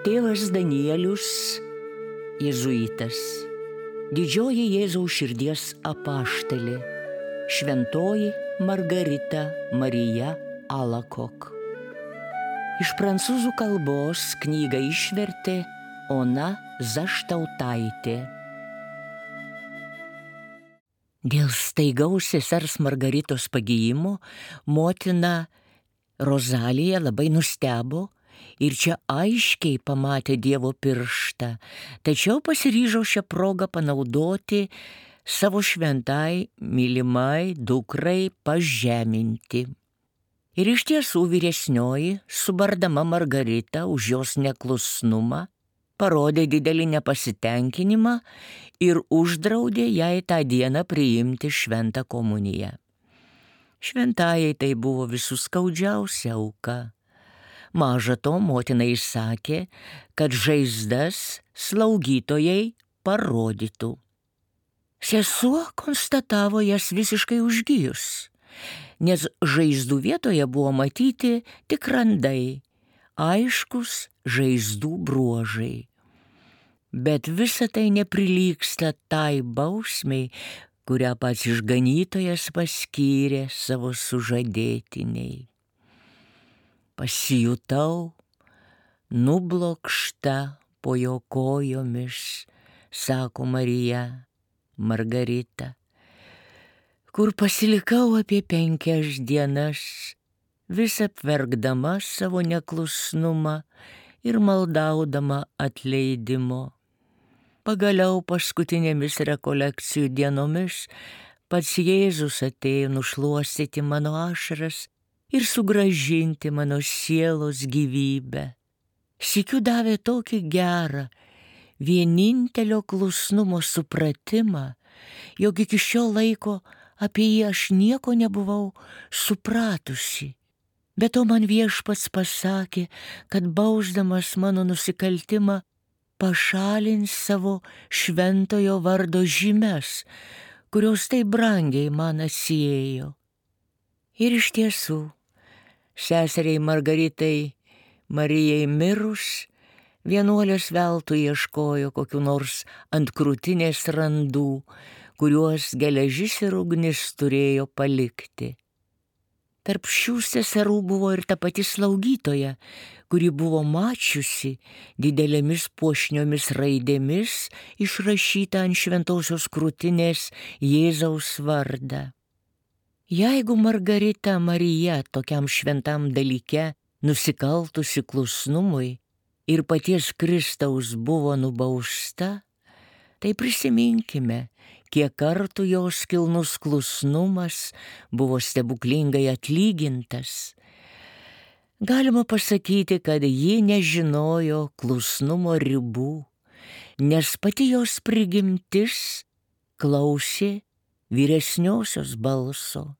Tėvas Danielius, jėzuitas, didžioji Jėzaus širdies apaštalė, šventoji Margarita Marija Alacoque. Iš prancūzų kalbos knygą išvertė Ona Zaštautaitė. Dėl staigaus sesers Margaritos pagijimo motina Rozalija labai nustebo ir čia aiškiai pamatė Dievo pirštą, tačiau pasiryžo šią progą panaudoti savo šventai mylimai dukrai pažeminti. Ir iš tiesų vyresnioji, subardama Margaritą už jos neklusnumą, parodė didelį nepasitenkinimą ir uždraudė jai tą dieną priimti šventą komuniją. Šventajai tai buvo visų skaudžiausia auka. Maža to, motina įsakė, kad žaizdas slaugytojai parodytų. Sesuo konstatavo jas visiškai užgijus, nes žaizdų vietoje buvo matyti tik randai, aiškus žaizdų bruožai. Bet visa tai neprilygsta tai bausmei, kurią pats išganytojas paskyrė savo sužadėtiniai. Pasijutau nublokšta po jo kojomis, sako Margarita, kur pasilikau apie 5 dienas, vis apverkdama savo neklusnumą ir maldaudama atleidimo. Pagaliau paskutinėmis rekolekcijų dienomis pats Jėzus atėjo nušluostyti mano ašaras ir sugrąžinti mano sielos gyvybę. Sykiu davė tokį gerą, vienintelio klusnumo supratimą, jog iki šio laiko apie jį aš nieko nebuvau supratusi. Bet to man Viešpats pasakė, kad bausdamas mano nusikaltimą pašalins savo šventojo vardo žymes, kurios taip brangiai man atsiėjo. Ir iš tiesų, seseriai Margaritai Marijai mirus, vienuolės veltui ieškojo kokių nors ant krūtinės randų, kuriuos geležis ir ugnis turėjo palikti. Tarp šių seserų buvo ir ta pati slaugytoja, kuri buvo mačiusi didelėmis puošniomis raidėmis išrašytą ant šventosios krūtinės Jėzaus vardą. Jeigu Margarita Marija tokiam šventam dalyke nusikaltusi klusnumui ir paties Kristaus buvo nubausta, tai prisiminkime, kiek kartų jos kilnus klusnumas buvo stebuklingai atlygintas. Galima pasakyti, kad ji nežinojo klusnumo ribų, nes pati jos prigimtis klausė vyresniosios balso.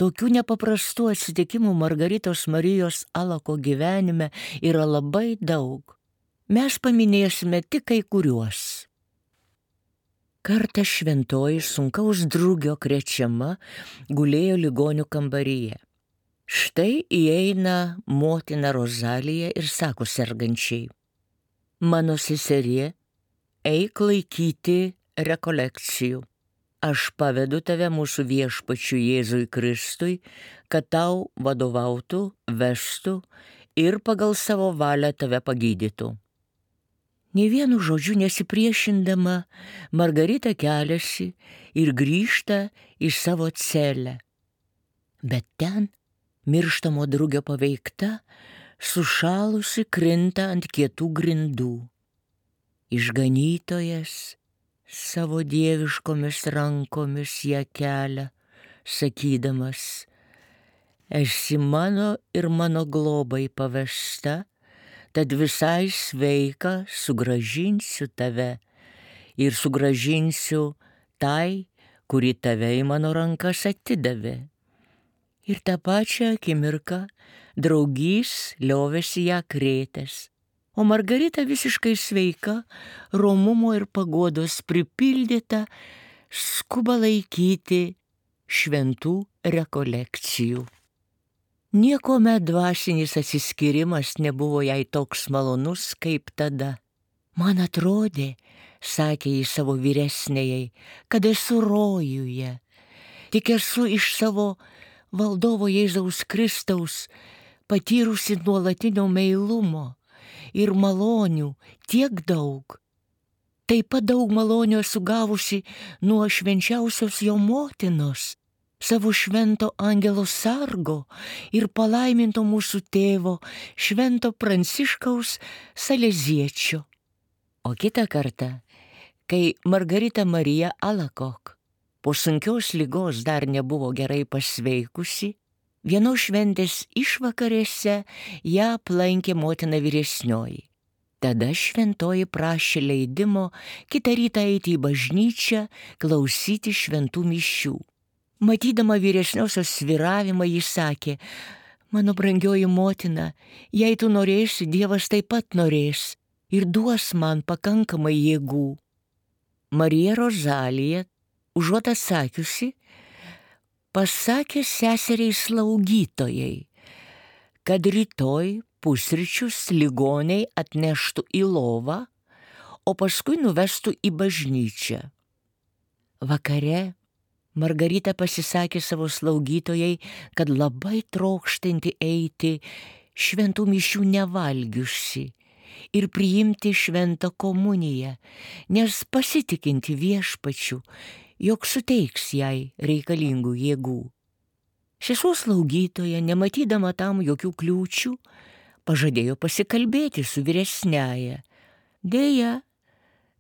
Tokių nepaprastų atsitikimų Margaritos Marijos Alacoque gyvenime yra labai daug. Mes paminėsime tik kai kuriuos. Kartą šventoji sunkaus drugio krečiama gulėjo ligonių kambaryje. Štai įeina motina Rozalija ir sako sergančiai: mano seserie, eik laikyti rekolekcijų. Aš pavedu tave mūsų Viešpačiui Jėzui Kristui, kad tau vadovautų, vestų ir pagal savo valią tave pagydytų. Nė vienu žodžiu nesipriešindama, Margarita keliasi ir grįžta į savo celę. Bet ten, mirštamo drugio paveikta, sušalusi krinta ant kietų grindų. Išganytojas savo dieviškomis rankomis ją kelia, sakydamas: esi mano ir mano globai pavesta, tad visai sveika sugrąžinsiu tave ir sugrąžinsiu tai, kuri tave į mano rankas atidavė. Ir tą pačią akimirką draugys liovėsi ją krėtęs, o Margarita visiškai sveika, romumo ir paguodos pripildyta, skuba laikyti šventų rekolekcijų. Niekuomet dvasinis atsiskyrimas nebuvo jai toks malonus kaip tada. Man atrodė, sakė jį savo vyresnėjai, kad esu rojuje. Tik esu iš savo valdovo Jėzaus Kristaus patyrusi nuolatinio meilumo ir malonių tiek daug. Taip pat daug malonių esu gavusi nuo švenčiausios jo motinos, savo švento angelo sargo ir palaiminto mūsų tėvo švento Pranciškaus Saleziečio. O kitą kartą, kai Margarita Marija Alakok po sunkios ligos dar nebuvo gerai pasveikusi, vienos šventės išvakarėse ją aplankė motina vyresnioji. Tada šventoji prašė leidimo kitą rytą eiti į bažnyčią, klausyti šventų mišių. Matydama vyresniosios svyravimą, ji sakė: mano brangioji motina, jei tu norėsi, Dievas taip pat norės ir duos man pakankamai jėgų. Marija Rozalija, užuot atsakiusi, pasakė seseriai slaugytojai, kad rytoj pusryčius ligoniai atneštų į lovą, o paskui nuvestų į bažnyčią. Vakare Margarita pasisakė savo slaugytojai, kad labai trokštanti eiti šventų mišių nevalgiusi ir priimti šventą komuniją, nes pasitikinti Viešpačiu, jog suteiks jai reikalingų jėgų. Sesuo slaugytoja, nematydama tam jokių kliūčių, pažadėjo pasikalbėti su vyresniaja. Deja,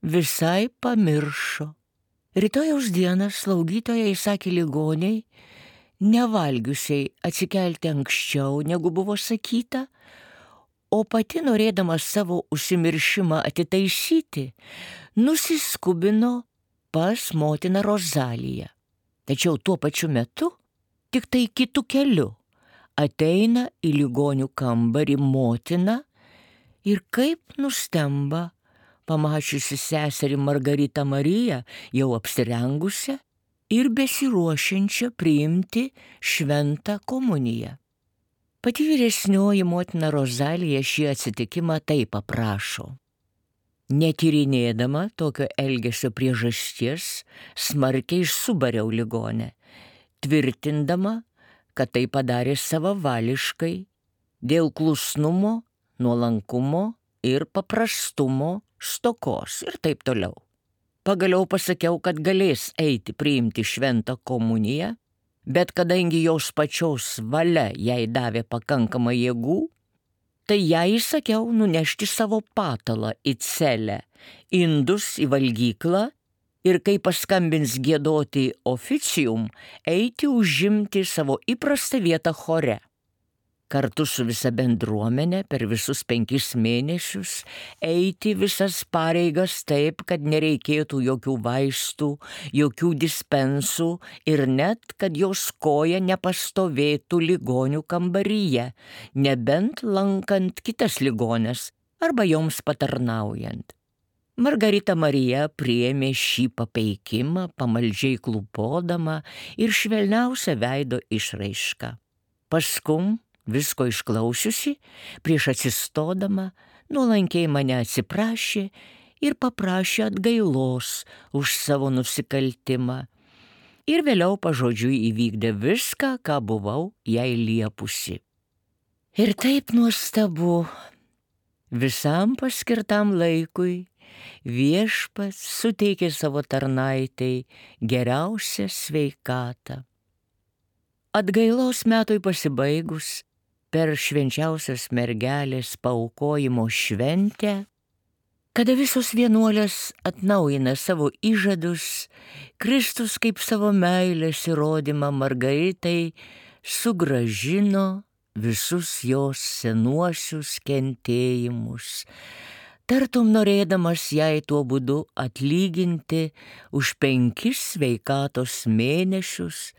visai pamiršo. Rytojaus dieną slaugytoja įsakė ligoniai, nevalgiusiai atsikelti anksčiau, negu buvo sakyta, o pati, norėdama savo užsimiršimą atitaisyti, nusiskubino pas motiną Rozaliją. Tačiau tuo pačiu metu, tik tai kitu keliu, ateina į ligonių kambarį motina ir kaip nustemba, pamačiusi seserį Margaritą Mariją jau apsirengusią ir besiruošiančią priimti šventą komuniją. Pati vyresnioji motina Rozalija šį atsitikimą taip aprašo. Netyrinėdama tokio elgesio priežasties, smarkiai subariau ligonę, tvirtindama, kad tai padarė savavališkai, dėl klusnumo, nuolankumo ir paprastumo stokos ir taip toliau. Pagaliau pasakiau, kad galės eiti priimti šventą komuniją, bet kadangi jos pačios valia jai davė pakankamai jėgų, tai jai įsakiau nunešti savo patalą į celę, indus į valgyklą ir kai paskambins giedoti oficium, eiti užimti savo įprastą vietą chore. Kartu su visa bendruomenė per visus 5 mėnesius eiti visas pareigas taip, kad nereikėtų jokių vaistų, jokių dispensų ir net, kad jos koja nepastovėtų ligonių kambaryje, nebent lankant kitas ligones arba joms patarnaujant. Margarita Marija priėmė šį papeikimą, pamaldžiai klūpodama ir švelniausia veido išraiška. Paskum, visko išklausiusi, prieš atsistodama, nuolankiai mane atsiprašė ir paprašė atgailos už savo nusikaltimą. Ir vėliau pažodžiui įvykdė viską, ką buvau jai liepusi. Ir taip nuostabu, visam paskirtam laikui Viešpats suteikė savo tarnaitei geriausią sveikatą. Atgailos metui pasibaigus, per švenčiausios mergelės paaukojimo šventę, kada visos vienuolės atnaujina savo įžadus, Kristus kaip savo meilės įrodymą Margaritai sugrąžino visus jos senuosius kentėjimus, tartum norėdamas jai tuo būdu atlyginti už 5 sveikatos mėnesius,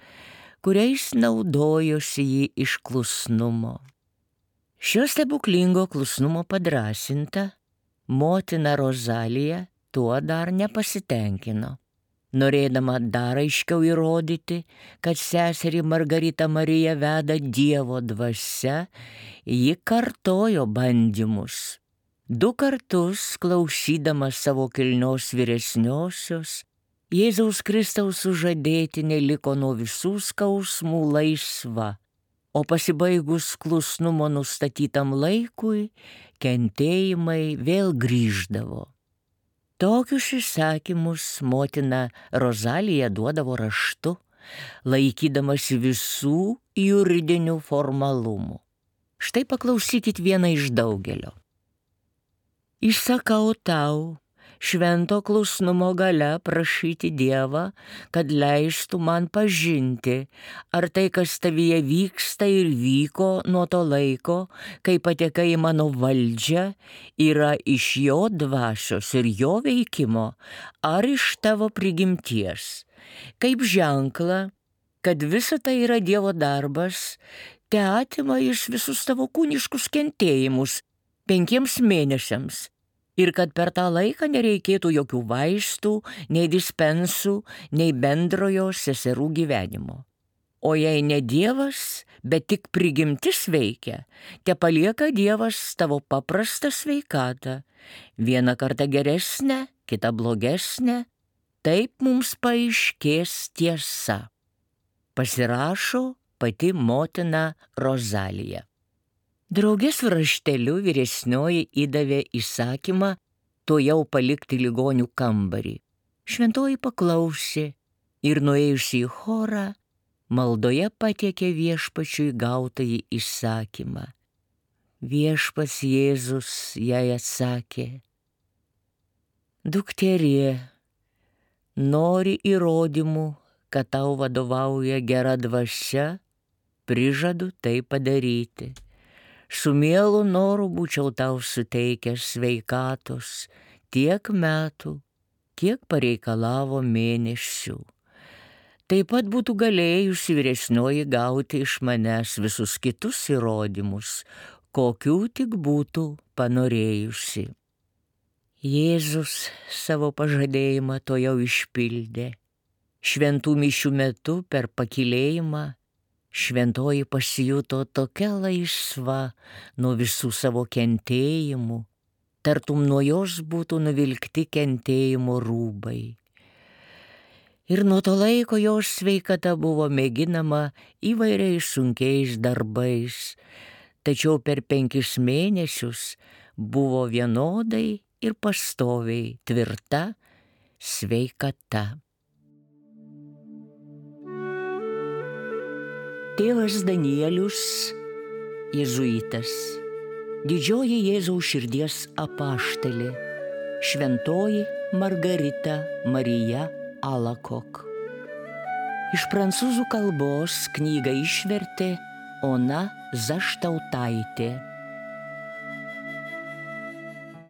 kuriais naudojosi jį iš klusnumo. Šio stebuklingo klusnumo padrąsinta, motina Rozalija tuo dar nepasitenkino. Norėdama dar aiškiau įrodyti, kad seserį Margaritą Mariją veda Dievo dvasia, ji kartojo bandymus. 2 kartus klausydama savo kilnios vyresniosios, Jėzaus Kristaus sužadėtinė liko nuo visų skausmų laisva, o pasibaigus klusnumo nustatytam laikui, kentėjimai vėl grįždavo. Tokius įsakymus motina Rozalija duodavo raštu, laikydamasi visų juridinių formalumų. Štai paklausykit vieną iš daugelio. Įsakau tau, švento klusnumo galia prašyti Dievą, kad leistų man pažinti, ar tai, kas tavyje vyksta ir vyko nuo to laiko, kai patekai į mano valdžią, yra iš jo dvasios ir jo veikimo, ar iš tavo prigimties. Kaip ženkla, kad visa tai yra Dievo darbas, te atima jis visus tavo kūniškus kentėjimus 5 mėnesiams. Ir kad per tą laiką nereikėtų jokių vaistų, nei dispensų, nei bendrojo seserų gyvenimo. O jei ne Dievas, bet tik prigimtis veikia, te palieka Dievas tavo paprastą sveikatą, vieną kartą geresnę, kitą blogesnę, taip mums paaiškės tiesa. Pasirašo pati motina Rozalija. Draugės rašteliu vyresnioji įdavė įsakymą tuojau palikti ligonių kambarį. Šventoji paklausė ir nuėjusi į chorą, maldoje patiekė viešpačiui gautąjį įsakymą. Viešpats Jėzus jai atsakė: Dukterie, nori įrodymų, kad tau vadovauja gera dvasia, prižadu tai padaryti. Su mielu noru būčiau tau suteikęs sveikatos tiek metų, kiek pareikalavo mėnesių. Taip pat būtų galėjusi vyresnioji gauti iš manęs visus kitus įrodymus, kokių tik būtų panorėjusi. Jėzus savo pažadėjimą tuojau išpildė. Šventų mišių metu per pakylėjimą šventoji pasijuto tokia laisva nuo visų savo kentėjimų, tartum nuo jos būtų nuvilkti kentėjimo rūbai. Ir nuo to laiko jos sveikata buvo mėginama įvairiais sunkiais darbais, tačiau per 5 mėnesius buvo vienodai ir pastoviai tvirta sveikata. Tėvas Danielius, jėzuitas, didžioji Jėzaus širdies apaštalė, šventoji Margarita Marija Alacoque. Iš prancūzų kalbos knygą išvertė Ona Zaštautaitė.